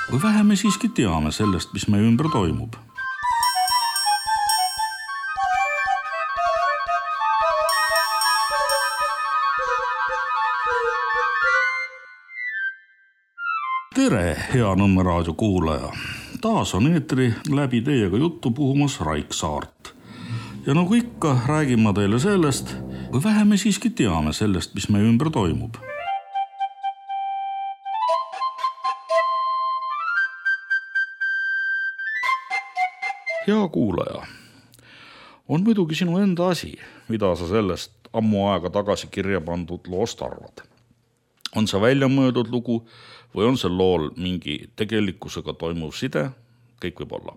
Või vähe me siiski teame sellest, mis meie ümber toimub. Tere, hea Nõmme raadio kuulaja! Taas on eetri läbi teiega juttu puhumas Raik Saart. Ja nagu ikka, räägin ma teile sellest, või vähe me siiski teame sellest, mis meie ümber toimub. Hea kuulaja, on muidugi sinu enda asi, mida sa sellest ammu aega tagasi kirja pandud loost arvad. On see välja mõeldud lugu või on see lool mingi tegelikkusega toimuv side, kõik võib olla.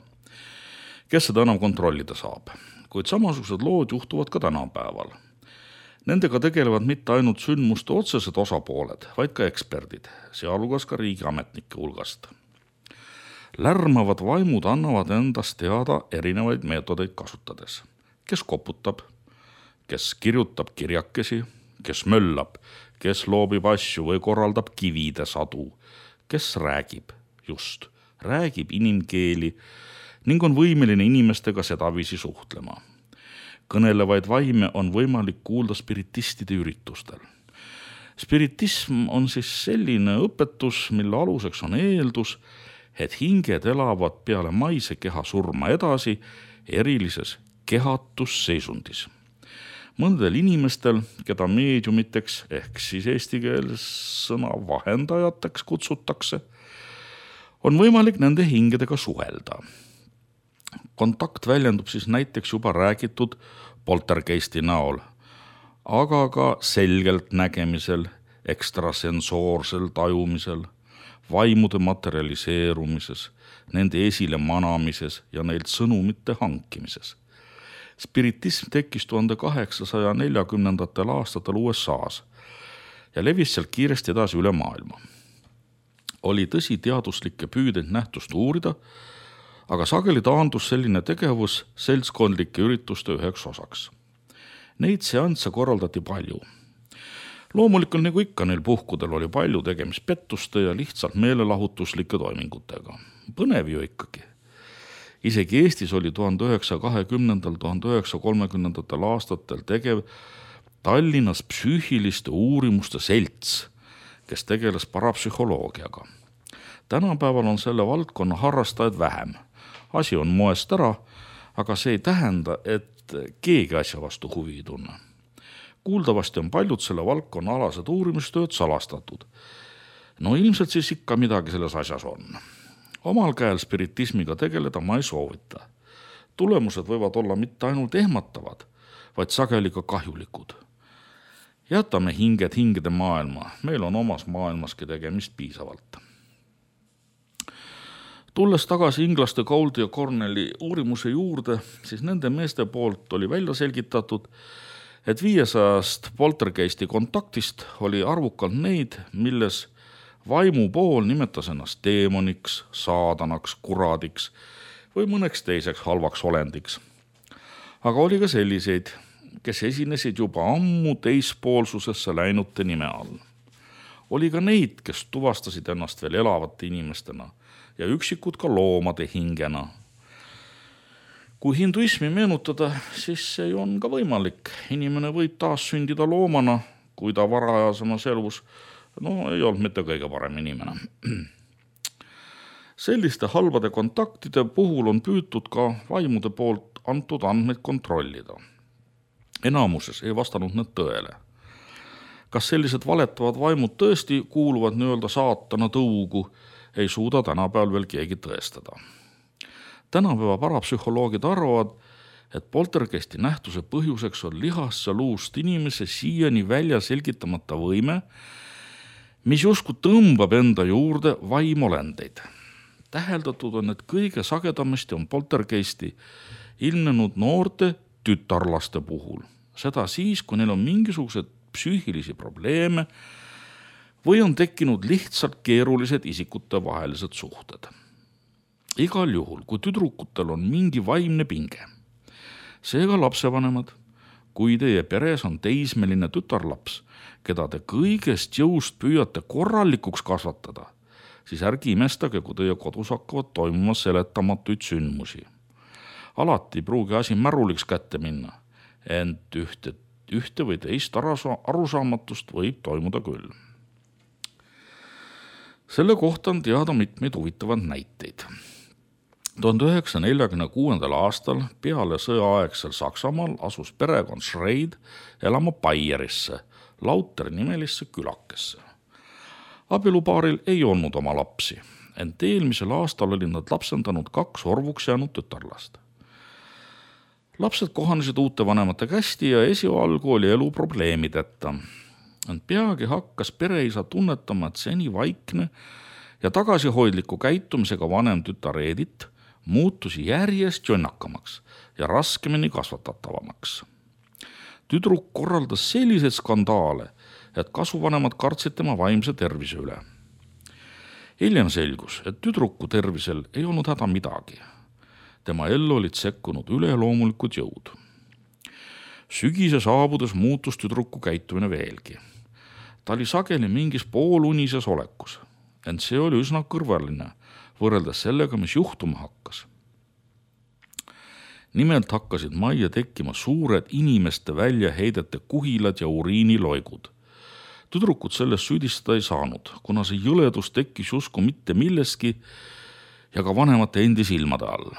Kes seda enam kontrollida saab, kuid samasugused lood juhtuvad ka tänapäeval. Nendega tegelevad mitte ainult sündmuste otsesed osapooled, vaid ka eksperdid, sealhulgas ka riigiametnike hulgast. Lärmavad vaimud annavad endast teada erinevaid meetodeid kasutades. Kes koputab, kes kirjutab kirjakesi, kes möllab, kes loobib asju või korraldab kivide sadu, kes räägib, räägib inimkeeli ning on võimeline inimestega sedaviisi suhtlema. Kõnelevaid vaime on võimalik kuulda spiritistide üritustel. Spiritism on siis selline õpetus, mille aluseks on eeldus, et hinged elavad peale maise keha surma edasi erilises kehatusseisundis. Mõndel inimestel, keda meediumiteks ehk siis eesti keeles sõna vahendajateks kutsutakse, on võimalik nende hingedega suhelda. Kontakt väljendub siis näiteks juba räägitud poltergeisti näol, aga ka selgelt nägemisel, ekstrasensoorsel tajumisel, vaimude materialiseerumises, nende esile manamises ja neilt sõnumite hankimises. Spiritism tekkis 1840. aastatel USAs ja levis sealt kiiresti edasi üle maailma. Oli tõsi teaduslikke püüdeid nähtust uurida, aga sageli taandus selline tegevus seltskondlike ürituste üheks osaks. Neid seansse korraldati palju. Loomulikult nagu ikka neil puhkudel oli palju tegemist pettuste ja lihtsalt meelelahutuslike toimingutega. Põnev ju ikkagi. Isegi Eestis oli 1920–1930 aastatel tegev Tallinnas psüühiliste uurimuste selts, kes tegeles parapsühholoogiaga. Tänapäeval on selle valdkonna harrastajaid vähem. Asi on moest ära, aga see ei tähenda, et keegi asja vastu huvi ei tunne. Kuuldavasti on paljud selle valdkonna alased uurimustööd salastatud. No ilmselt siis ikka midagi selles asjas on. Omal käel spiritismiga tegeleda ma ei soovita. Tulemused võivad olla mitte ainult ehmatavad, vaid sageli ka kahjulikud. Jätame hinged hingede maailma, meil on omas maailmaski tegemist piisavalt. Tulles tagasi inglaste Gouldi ja Cornelli uurimuse juurde, siis nende meeste poolt oli välja selgitatud, et 500 poltergeisti kontaktist oli arvukalt neid, milles vaimu pool nimetas ennast teemoniks, saadanaks, kuradiks või mõneks teiseks halvaks olendiks. Aga oli ka selliseid, kes esinesid juba ammu teispoolsusesse läinute nime all. Oli ka neid, kes tuvastasid ennast veel elavate inimestena ja üksikud ka loomade hingena. Kui hinduismi meenutada, siis see on ka võimalik. Inimene võib taas sündida loomana, kui ta varajasemas elus ei olnud mitte kõige parem inimene. Selliste halbade kontaktide puhul on püütud ka vaimude poolt antud andmeid kontrollida. Enamuses ei vastanud need tõele. Kas sellised valetavad vaimud tõesti kuuluvad nii-öelda saatana tõugu, ei suuda tänapäeval veel keegi tõestada. Tänapäeva parapsühholoogid arvavad, et poltergeisti nähtuse põhjuseks on lihast ja luust inimese siiani välja selgitamata võime, mis justkui tõmbab enda juurde vaimolendeid. Täheldatud on, et kõige sagedamasti on poltergeisti ilmnenud noorte tütarlaste puhul. Seda siis, kui neil on mingisugused psüühilisi probleeme või on tekkinud lihtsalt keerulised isikute vahelised suhted. Igal juhul, kui tüdrukutel on mingi vaimne pinge, seega lapsevanemad, kui teie peres on teismeline tütarlaps, keda te kõigest jõust püüate korralikuks kasvatada, siis ärge imestage, kui teie kodus hakkavad toimuma seletamatuid sündmusi. Alati ei pruugi asi märuliks kätte minna, ent ühte või teist arusaamatust võib toimuda küll. Selle kohta on teada mitmeid huvitavad näiteid. 1946. aastal peale sõjaaegsel Saksamaal asus perekond Schreid elama Baierisse, Lauteri nimelisse külakesse. Abielupaaril ei olnud oma lapsi, ent eelmisel aastal olid nad lapsendanud 2 orvuks jäänud tütarlast. Lapsed kohanesid uute vanemate kästi ja esialgu oli elu probleemideta. Ent peagi hakkas pereisa tunnetama, et seni vaikne ja tagasihoidliku käitumisega vanem tütar Edith muutusi järjest jonnakamaks ja raskemini kasvatatavamaks. Tüdruk korraldas selliseid skandaale, et kasuvanemad kartsid tema vaimse tervise üle. Hiljem selgus, et tüdruku tervisel ei olnud häda midagi. Tema ellu olid sekkunud üleloomulikud jõud. Sügise saabudes muutus tüdruku käitumine veelgi. Ta oli sageli mingis poolunises olekus, ent see oli üsna kõrvaline võrreldes sellega, mis juhtuma hakkas. Nimelt hakkasid majja tekkima suured inimeste väljaheidete kuhilad ja uriiniloigud. Tüdrukut sellest süüdistada ei saanud, kuna see jõledus tekkis justkui mitte milleski ja ka vanemate endi silmade all.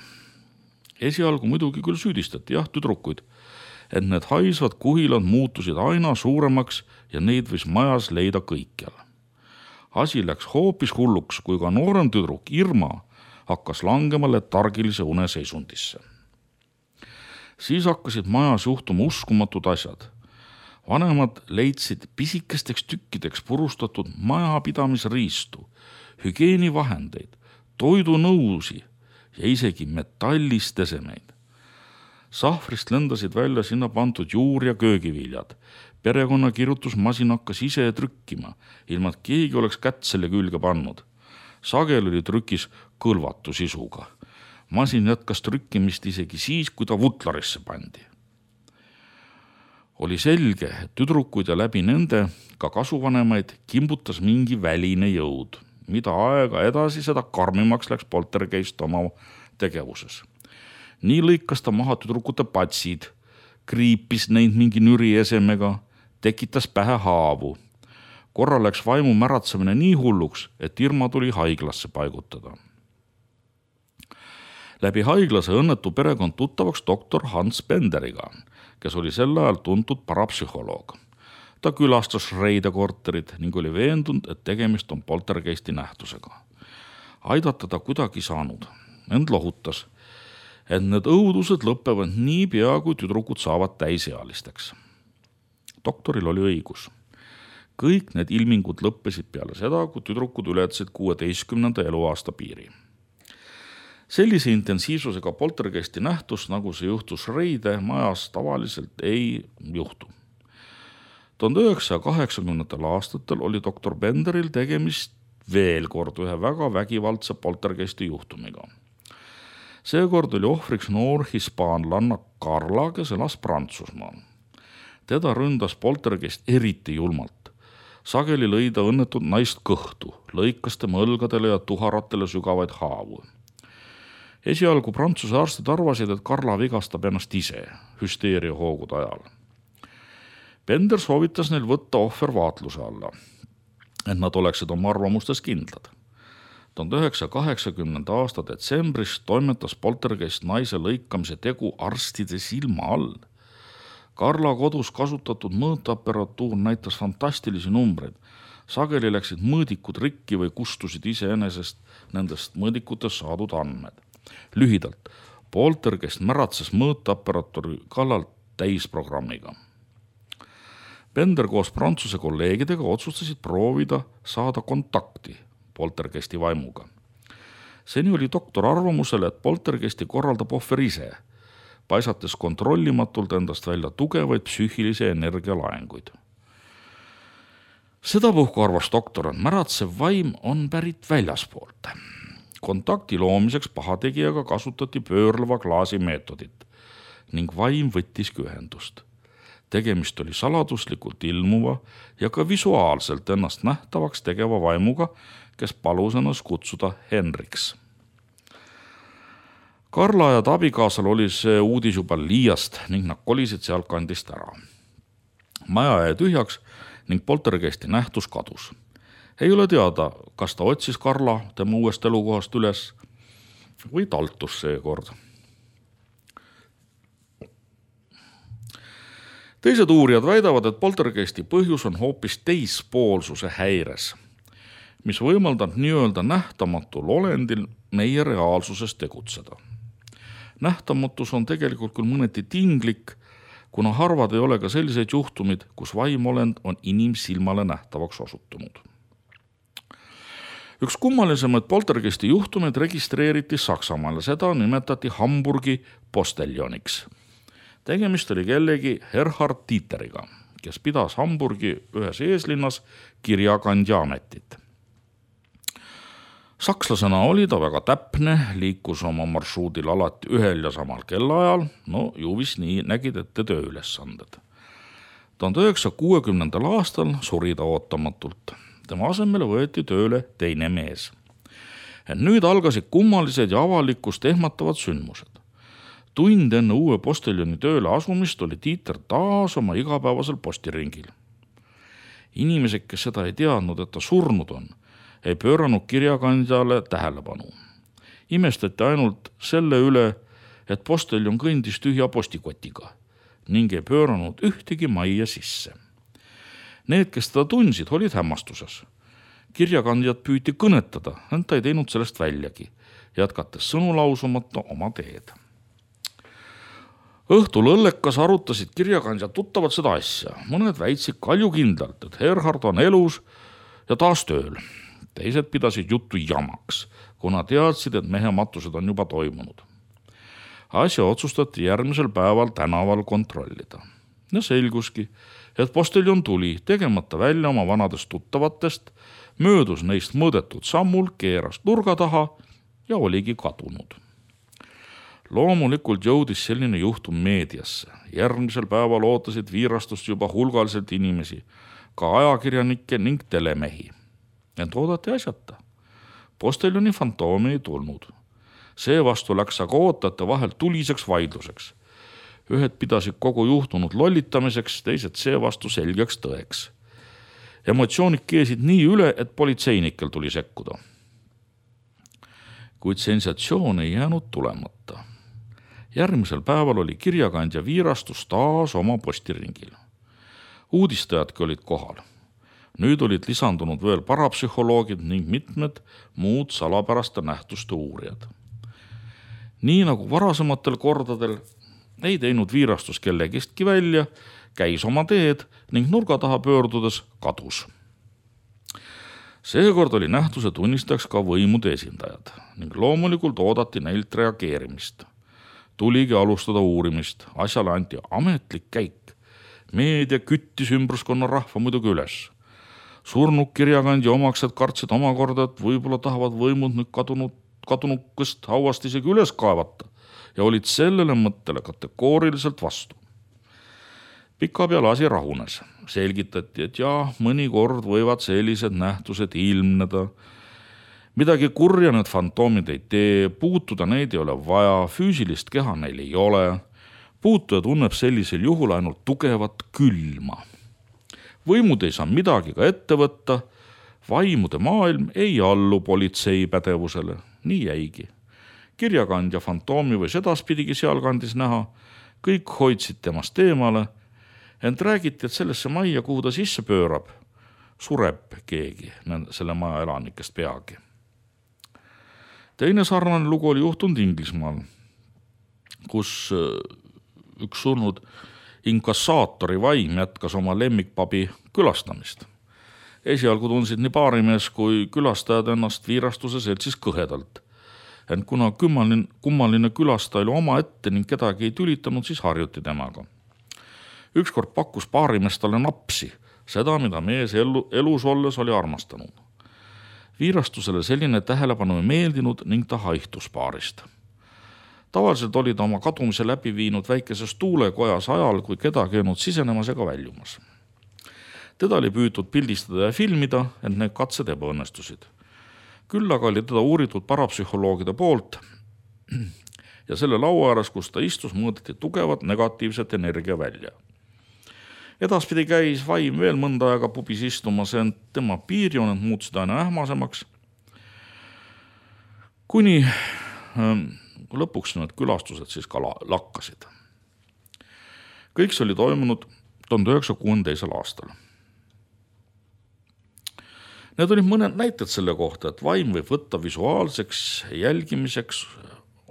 Esialgu muidugi küll süüdistati tüdrukuid, et need haisvad kuhilad muutusid aina suuremaks ja neid võis majas leida kõikjal. Asi läks hoopis hulluks, kui ka noorem tüdruk Irma hakkas langema letargilise une seisundisse. Siis hakkasid majas juhtuma uskumatud asjad. Vanemad leidsid pisikesteks tükkideks purustatud majapidamisriistu, hügieenivahendeid, toidunõusi ja isegi metallist esemeid. Sahvrist lendasid välja sinna pandud juur- ja köögiviljad. Perekonna kirjutusmasin hakkas ise trükkima, ilma et keegi oleks kätt selle külge pannud. Sagel oli trükis kõlvatu sisuga. Masin jätkas trükkimist isegi siis, kui ta vutlarisse pandi. Oli selge, et tüdrukuid ja läbi nende ka kasuvanemaid kimbutas mingi väline jõud, mida aega edasi seda karmimaks läks poltergeist oma tegevuses. Nii lõikas ta maha tüdrukute patsid, kriipis neid mingi nüri esemega, tekitas pähe haavu. Korra läks vaimu märatsemine nii hulluks, et Irma tuli haiglasse paigutada. Läbi haiglase õnnetu perekond tuttavaks doktor Hans Benderiga, kes oli sel ajal tuntud parapsühholoog. Ta külastas Schreide korterit ning oli veendunud, et tegemist on poltergeisti nähtusega. Aidata ta kuidagi saanud, ent lohutas, et need õudused lõpevad nii pea, kui tüdrukud saavad täisealisteks. Doktoril oli õigus. Kõik need ilmingud lõppesid peale seda, kui tüdrukud ületasid 16. eluaasta piiri. Sellise intensiivsusega poltergeisti nähtus, nagu see juhtus Schreide majas, tavaliselt ei juhtu. 1980. aastatel oli doktor Benderil tegemist veel kord ühe väga vägivaldse poltergeisti juhtumiga. Seekord oli ohvriks noor hispaanlanna Carla, kes elas Prantsusmaal. Teda ründas poltergeist eriti julmalt. Sageli lõi ta õnnetut naist kõhtu, lõikas tema õlgadele ja tuharatele sügavaid haavu. Esialgu Prantsuse arstid arvasid, et Carla vigastab ennast ise hüsteeria hoogude ajal. Bender soovitas neil võtta ohver vaatluse alla, et nad oleksid oma arvamustes kindlad. 1980. aasta detsembris toimetas poltergeist naise lõikamise tegu arstide silma all. Carla kodus kasutatud mõõteaperatuur näitas fantastilisi numbreid. Sageli läksid mõõdikud rikki või kustusid iseenesest nendest mõõdikutest saadud andmed. Lühidalt, poltergeist märatses mõõteaperatuuri kallal täisprogrammiga. Bender koos Prantsuse kolleegidega otsustasid proovida saada kontakti poltergeisti vaimuga. Seni oli doktor arvamusel, et poltergeisti korraldab ohver ise, paisates kontrollimatult endast välja tugevaid psüühilise energia laenguid. Sedapuhku arvas doktor, et märatsev vaim on pärit väljaspoolt. Kontakti loomiseks pahategijaga kasutati pöörleva klaasi meetodit ning vaim võttiski ühendust. Tegemist oli saladuslikult ilmuva ja ka visuaalselt ennast nähtavaks tegeva vaimuga, kes palus ennast kutsuda Henriks. Karla ja abikaasal oli see uudis juba liiast ning nad kolisid sealtkandist ära. Maja jäi tühjaks ning poltergeisti nähtus kadus. Ei ole teada, kas ta otsis Karla tema uuest elukohast üles või taltus seekord. Teised uurijad väidavad, et poltergeisti põhjus on hoopis teispoolsuse häires, mis võimaldab nii-öelda nähtamatul olendil meie reaalsuses tegutseda. Nähtamatus on tegelikult küll mõneti tinglik, kuna harvad ei ole ka selliseid juhtumid, kus vaimolend on inimsilmale nähtavaks osutunud. Üks kummalisemaid poltergeisti juhtumeid registreeriti Saksamaal ja seda nimetati Hamburgi posteljoniks. Tegemist oli kellegi Erhard Dieteriga, kes pidas Hamburgi ühes eeslinnas kirjakandja ametit. Sakslasena oli ta väga täpne, liikus oma marsruudil alati ühel ja samal kellaajal, ju vist nii nägid ette tööülesanded. 1960. aastal suri ta ootamatult. Tema asemele võeti tööle teine mees. Nüüd algasid kummalised ja avalikkust ehmatavad sündmused. Tund enne uue posteljoni tööle asumist oli Dieter taas oma igapäevasel postiringil. Inimesed, kes seda ei teadnud, et ta surnud on, ei pööranud kirjakandjale tähelepanu. Imestati ainult selle üle, et posteljon kõndis tühja postikotiga ning ei pööranud ühtegi majja sisse. Need, kes teda tundsid, olid hämmastuses. Kirjakandjad püüti kõnetada, ent ta ei teinud sellest väljagi, jätkates sõnu lausumata oma teed. Õhtul õllekas arutasid kirjakandjad tuttavad seda asja. Mõned väitsid kaljukindlalt, et Erhard on elus ja taas tööl. Teised pidasid juttu jamaks, kuna teadsid, et mehe matused on juba toimunud. Asja otsustati järgmisel päeval tänaval kontrollida. Ja selguski, et posteljon tuli, tegemata välja oma vanadest tuttavatest, möödus neist mõõdetud sammul, keeras nurga taha ja oligi kadunud. Loomulikult jõudis selline juhtum meediasse. Järgmisel päeval ootasid viirastust juba hulgaliselt inimesi, ka ajakirjanikke ning telemehi. Ent oodati asjata. Posteljoni fantoomi ei tulnud. Seevastu läks aga ootajate vahel tuliseks vaidluseks. Ühed pidasid kogu juhtunud lollitamiseks, teised seevastu selgeks tõeks. Emotsioonid keesid nii üle, et politseinikel tuli sekkuda. Kuid sensatsioon ei jäänud tulemata. Järgmisel päeval oli kirjakandja viirastus taas oma postiringil. Uudistajadki olid kohal. Nüüd olid lisandunud veel parapsühholoogid ning mitmed muud salapäraste nähtuste uurijad. Nii nagu varasematel kordadel ei teinud viirastus kellegistki välja, käis oma teed ning nurga taha pöördudes kadus. Seekord oli nähtuse tunnistajaks ka võimude esindajad ning loomulikult oodati neilt reageerimist. Tuligi alustada uurimist, asjale anti ametlik käik. Meedia küttis ümbruskonna rahva muidugi üles. Surnud kirjakandja omaksed kartsid omakorda, et võib-olla tahavad võimud nüüd kadunukest hauast isegi üles kaevata ja olid sellele mõttele kategooriliselt vastu. Pikapeale asi rahunes. Selgitati, et mõnikord võivad sellised nähtused ilmneda. Midagi kurja need fantoomid ei tee, puutuda neid ei ole vaja, füüsilist keha neil ei ole. Puutuja tunneb sellisel juhul ainult tugevat külma. Võimud ei saa midagi ka ette võtta, vaimude maailm ei allu politsei pädevusele, nii jäigi. Kirjakandja fantoomi või sedaspidigi sealkandis näha, kõik hoidsid temast eemale, ent räägiti, et sellesse majja, kuhu ta sisse pöörab, sureb keegi selle maja elanikest peagi. Teine sarnane lugu oli juhtunud Inglismaal, kus üks surnud inkassaatori vaim jätkas oma lemmikpabi külastamist. Esialgu tundsid nii baarimees kui külastajad ennast viirastuse seltsis kõhedalt. Ent kuna kummaline külastaja oli oma ette ning kedagi ei tülitanud, siis harjuti temaga. Ükskord pakkus baarimees talle napsi, seda, mida mees elus olles oli armastanud. Viirastusele selline tähelepanu ei meeldinud ning ta haihtus baarist. Tavaliselt oli ta oma kadumise läbi viinud väikeses tuulekojas ajal, kui kedagi ei olnud sisenemas ega väljumas. Teda oli püütud pildistada ja filmida, ent need katsed ebaõnnestusid. Küll aga oli teda uuritud parapsühholoogide poolt ja selle laua ääres, kus ta istus, mõõdeti tugevat negatiivset energia välja. Edaspidi käis vaim veel mõnda aega pubis istumas, ent tema piirjooned muutusid aina ähmasemaks, kuni lõpuks need külastused siis ka lakkasid. Kõik see oli toimunud 1962. aastal. Need olid mõned näited selle kohta, et vaim võib võtta visuaalseks jälgimiseks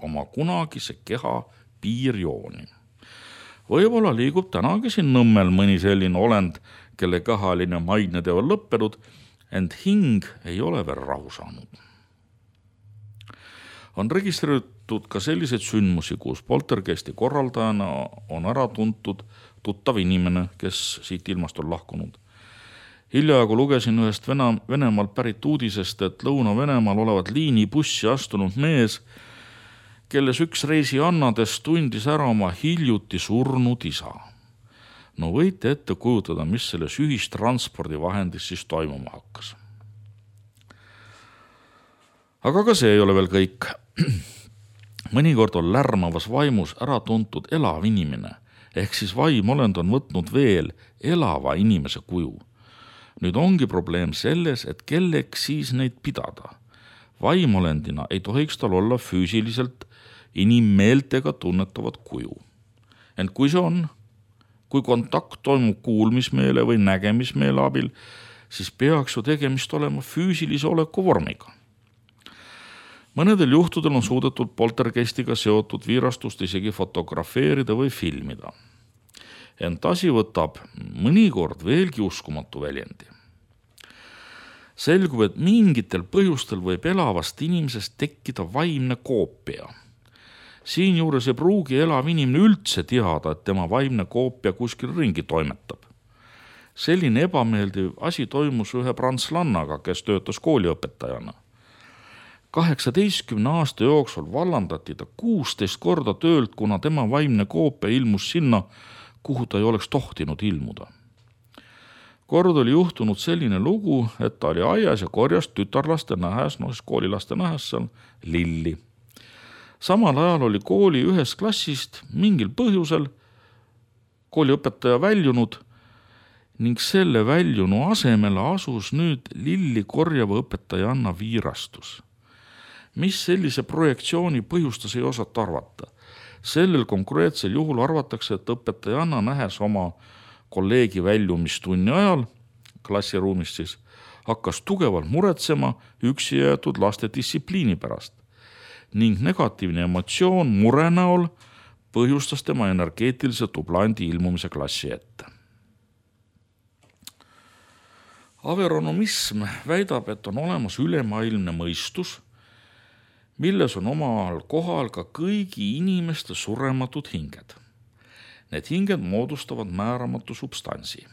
oma kunagise keha piirjooni. Võib-olla liigub tänagi siin Nõmmel mõni selline olend, kelle kehaline maine teo on lõppenud, ent hing ei ole veel rahu saanud. On registreeritud ka selliseid sündmusi, kus poltergeisti korraldajana on ära tuntud tuttav inimene, kes siit ilmast on lahkunud. Hiljaaegu lugesin ühest Venemaalt pärit uudisest, et Lõuna-Venemaal olevat liinibussi astunud mees, kelles üks reisiannadest tundis ära oma hiljuti surnud isa. No võite ette kujutada, mis selles ühistranspordivahendis siis toimuma hakkas. Aga ka see ei ole veel kõik. Mõnikord on lärmavas vaimus ära tuntud elav inimene, ehk siis vaimolend on võtnud veel elava inimese kuju. Nüüd ongi probleem selles, et kelleks siis neid pidada. Vaimolendina ei tohiks tal olla füüsiliselt inimmeeltega tunnetavat kuju. Ent kui see on, kui kontakt toimub kuulmismeele või nägemismeele abil, siis peaks ju tegemist olema füüsilise oleku vormiga. Mõnedel juhtudel on suudetud poltergeistiga seotud viirastust isegi fotografeerida või filmida. Ent asi võtab mõnikord veelgi uskumatu väljendi. Selgub, et mingitel põhjustel võib elavast inimesest tekkida vaimne koopia. Siinjuures ei pruugi elav inimene üldse teada, et tema vaimne koopia kuskil ringi toimetab. Selline ebameeldiv asi toimus ühe prantslannaga, kes töötas kooliõpetajana. 18 aasta jooksul vallandati ta 16 korda töölt, kuna tema vaimne koopia ilmus sinna, kuhu ta ei oleks tohtinud ilmuda. Kord oli juhtunud selline lugu, et ta oli aias ja korjas tütarlaste nähes, koolilaste nähes seal lilli. Samal ajal oli kooli ühest klassist mingil põhjusel kooliõpetaja väljunud ning selle väljunu asemele asus nüüd lilli korjava õpetajanna viirastus. Mis sellise projektsiooni põhjustas, ei osata arvata. Sellel konkreetsel juhul arvatakse, et õpetajanna nähes oma kolleegi väljumistunni ajal, klassiruumist siis, hakkas tugevalt muretsema üksi jäetud laste distsipliini pärast ning negatiivne emotsioon mure näol põhjustas tema energeetilise dublandi ilmumise klassi ette. Averonomism väidab, et on olemas ülemaailmne mõistus, milles on omal kohal ka kõigi inimeste surematud hinged. Need hinged moodustavad määramatu substansi.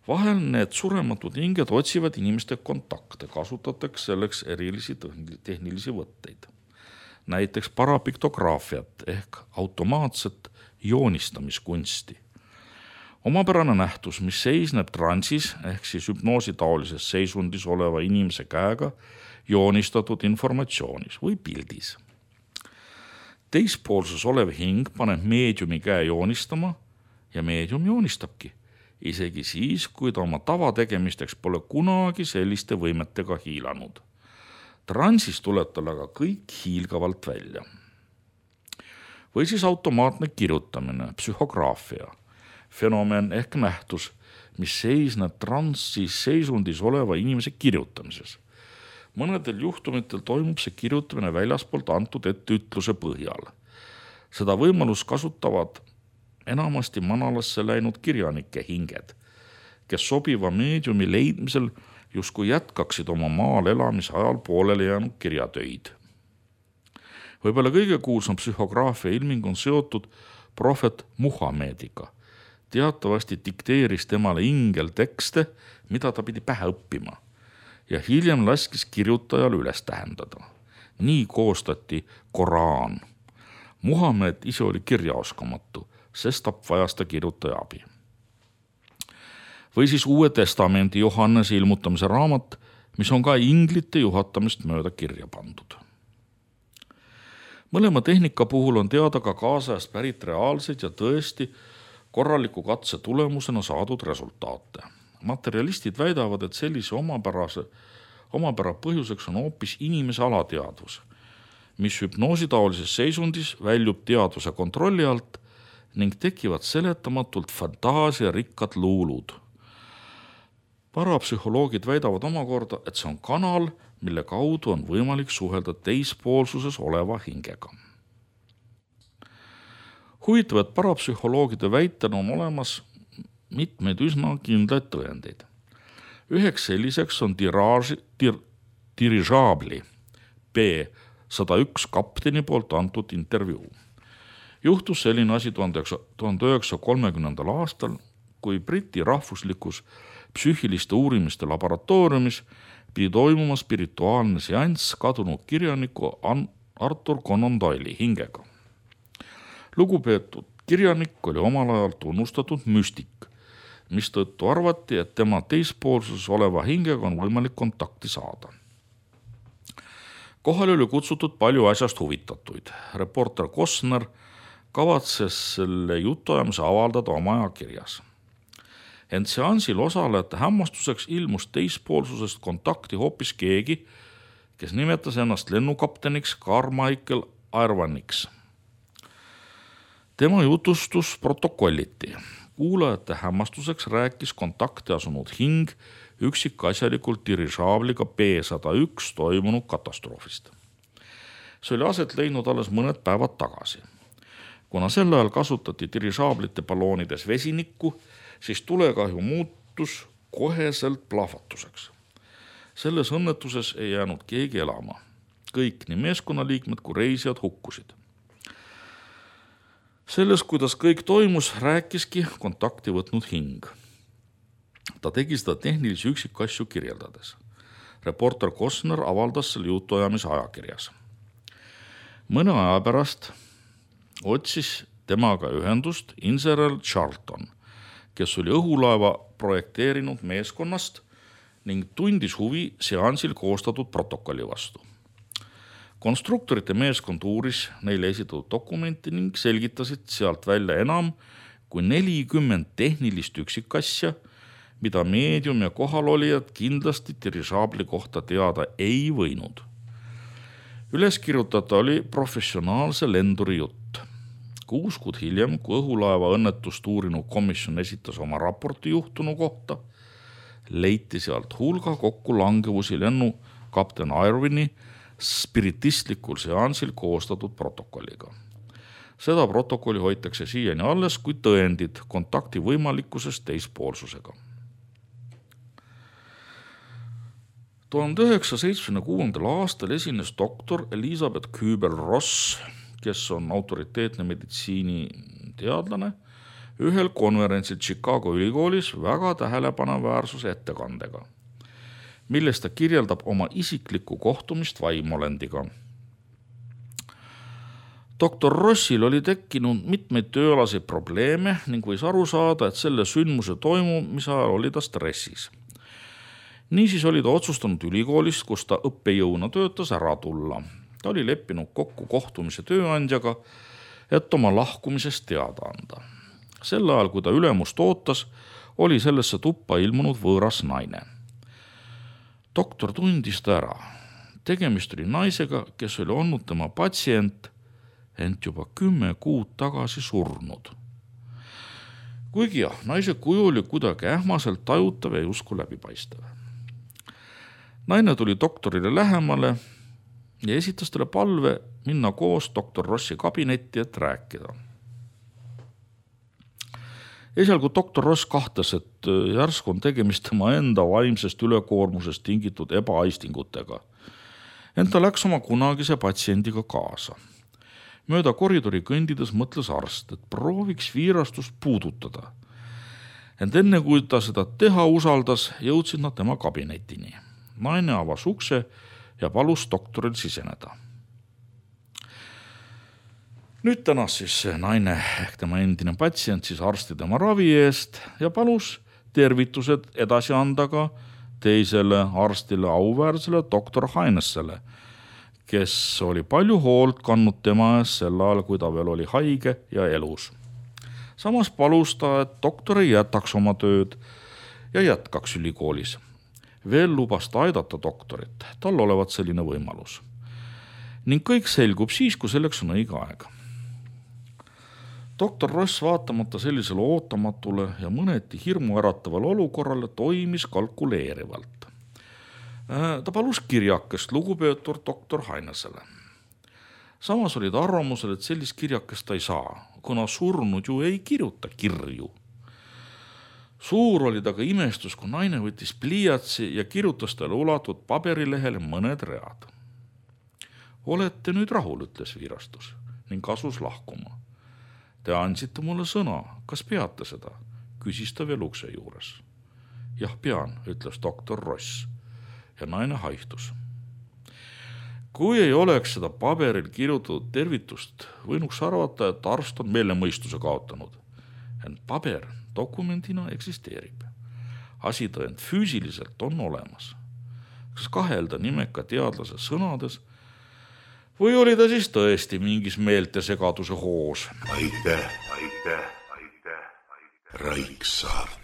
Vahel need surematud hinged otsivad inimeste kontakte, kasutatakse selleks erilisi tehnilisi võtteid. Näiteks parapiktograafiat ehk automaatset joonistamiskunsti. Omapärane nähtus, mis seisneb transis ehk siis hüpnoositaolises seisundis oleva inimese käega joonistatud informatsioonis või pildis. Teispoolses olev hing paneb meediumi käe joonistama ja meedium joonistabki, isegi siis, kui ta oma tavategemisteks pole kunagi selliste võimetega hiilanud. Transis tuleb tal aga kõik hiilgavalt välja. Või siis automaatne kirjutamine, psühhograafia, fenomen ehk nähtus, mis seisneb transis seisundis oleva inimese kirjutamises. Mõnedel juhtumitel toimub see kirjutamine väljaspoolt antud etteütluse põhjal. Seda võimalust kasutavad enamasti manalasse läinud kirjanike hinged, kes sobiva meediumi leidmisel justkui jätkaksid oma maal elamise ajal pooleli jäänud kirjatöid. Võib-olla kõige kuulsam psühhograafia ilming on seotud prohvet Muhamediga. Teatavasti dikteeris temale ingel tekste, mida ta pidi pähe õppima ja hiljem laskis kirjutajal üles tähendada. Nii koostati Koraan, Muhamed ise oli kirjaoskamatu, sestap vajas ta kirjutaja abi. Või siis Uue Testamendi Johannese ilmutamise raamat, mis on ka inglite juhatamist mööda kirja pandud. Mõlema tehnika puhul on teada ka kaasajast pärit reaalseid ja tõesti korraliku katse tulemusena saadud resultaate. Materialistid väidavad, et sellise omapära põhjuseks on hoopis inimese alateadvus, mis hüpnoositaolises seisundis väljub teadvuse kontrolli alt ning tekivad seletamatult fantaasiarikkad luulud. Parapsühholoogid väidavad omakorda, et see on kanal, mille kaudu on võimalik suhelda teispoolsuses oleva hingega. Huvitav, et parapsühholoogide väitel on olemas mitmeid üsna kindlaid tõendeid. Üheks selliseks on dirižaabli B-101 kapteni poolt antud intervjuu. Juhtus selline asi 1930. aastal, kui Briti rahvuslikus psüühiliste uurimiste laboratooriumis pidi toimuma spirituaalne seanss kadunud kirjaniku Arthur Conan Doyle'i hingega. Lugupeetud kirjanik oli omal ajal tunnustatud müstik, mistõttu arvati, et tema teispoolsuses oleva hingega on võimalik kontakti saada. Kohale oli kutsutud palju asjast huvitatuid. Reporter Costner kavatses selle jutuajamise avaldada oma ajakirjas. Ent seansil osalejate hämmastuseks ilmus teispoolsusest kontakti hoopis keegi, kes nimetas ennast lennukapteniks Carmichael Irviniks. Tema jutustus protokolliti. Kuulajate hämmastuseks rääkis kontakti asunud hing üksikasjalikult dirižaabliga B-101 toimunud katastroofist. See oli aset leidnud alles mõned päevad tagasi. Kuna sel ajal kasutati dirižaablite balloonides vesinikku, siis tulekahju muutus koheselt plahvatuseks. Selles õnnetuses ei jäänud keegi elama. Kõik, nii meeskonnaliikmed kui reisijad hukkusid. Selles, kuidas kõik toimus, rääkiski kontakti võtnud hing. Ta tegi seda tehnilisi üksikasju kirjeldades. Reporter Costner avaldas selle jutuajamise ajakirjas. Mõne aja pärast otsis temaga ühendust insener Charlton, kes oli õhulaeva projekteerinud meeskonnast ning tundis huvi seansil koostatud protokolli vastu. Konstruktorite meeskond uuris neile esitatud dokumenti ning selgitasid sealt välja enam kui 40 tehnilist üksikasja, mida meedium ja kohalolijad kindlasti dirižaabli kohta teada ei võinud. Üles kirjutada oli professionaalse lenduri jutt. 6 kuud hiljem, kui õhulaeva õnnetust uurinud komisjon esitas oma raporti juhtunu kohta, leiti sealt hulga kokku langevusi lennu kapten Irvini spiritistlikul seansil koostatud protokolliga. Seda protokolli hoitakse siiani alles kui tõendid kontakti võimalikkusest teispoolsusega. 1976. aastal esines doktor Elizabeth Kübler-Ross, kes on autoriteetne meditsiiniteadlane, ühel konverentsil Chicago ülikoolis väga tähelepaneväärsuse ettekandega, milles ta kirjeldab oma isiklikku kohtumist vaimolendiga. Doktor Rossil oli tekkinud mitmeid tööalaseid probleeme ning võis aru saada, et selle sündmuse toimumise ajal oli ta stressis. Niisiis oli ta otsustanud ülikoolist, kus ta õppejõuna töötas, ära tulla. Ta oli leppinud kokku kohtumise tööandjaga, et oma lahkumisest teada anda. Sel ajal, kui ta ülemust ootas, oli sellesse tuppa ilmunud võõras naine. Doktor tundis ta ära. Tegemist oli naisega, kes oli olnud tema patsient, ent juba 10 kuud tagasi surnud. Kuigi jah, naise kuju oli kuidagi ähmaselt tajutav ja justkui läbipaistev. Naine tuli doktorile lähemale ja esitas talle palve minna koos doktor Rossi kabinetti, et rääkida. Esialgu doktor Ross kahtas, et järsku on tegemist tema enda vaimsest ülekoormusest tingitud ebaaistingutega. Ent ta läks oma kunagise patsiendiga kaasa. Mööda koridori kõndides mõtles arst, et prooviks viirastust puudutada. Ent enne kui ta seda teha usaldas, jõudsid nad tema kabinetini. Naine avas ukse ja palus doktoril siseneda. Nüüd tänas siis naine ehk tema endine patsient siis arsti tema ravi eest ja palus tervitused edasi anda ka teisele arstile, auväärsele doktor Hainesele, kes oli palju hoolt kandnud tema ees sel ajal, kui ta veel oli haige ja elus. Samas palus ta, et doktor ei jätaks oma tööd ja jätkaks ülikoolis. Veel lubas ta aidata doktorit, tal olevat selline võimalus. Ning kõik selgub siis, kui selleks on õige aeg. Doktor Ross vaatamata sellisele ootamatule ja mõneti hirmuäratavale olukorrale toimis kalkuleerivalt. Ta palus kirjakest lugupeetud doktor Hainesele. Samas oli ta arvamusel, et sellist kirjakest ta ei saa, kuna surnud ju ei kirjuta kirju. Suur oli ta ka imestus, kui naine võttis pliiatsi ja kirjutas talle ulatud paberilehele mõned read. Olete nüüd rahul, ütles viirastus ning asus lahkuma. Te andsite mulle sõna, kas peate seda, küsis ta veel ukse juures. Jah, pean, ütles doktor Ross ja naine haihtus. Kui ei oleks seda paberil kirjutatud tervitust, võinuks arvata, et arst on meelemõistuse kaotanud. Ent paber dokumendina eksisteerib. Asitõend füüsiliselt on olemas. Kas kahelda nimeka teadlase sõnades või oli ta siis tõesti mingis meeltesegaduse hoos? Aitäh, Raiksaart.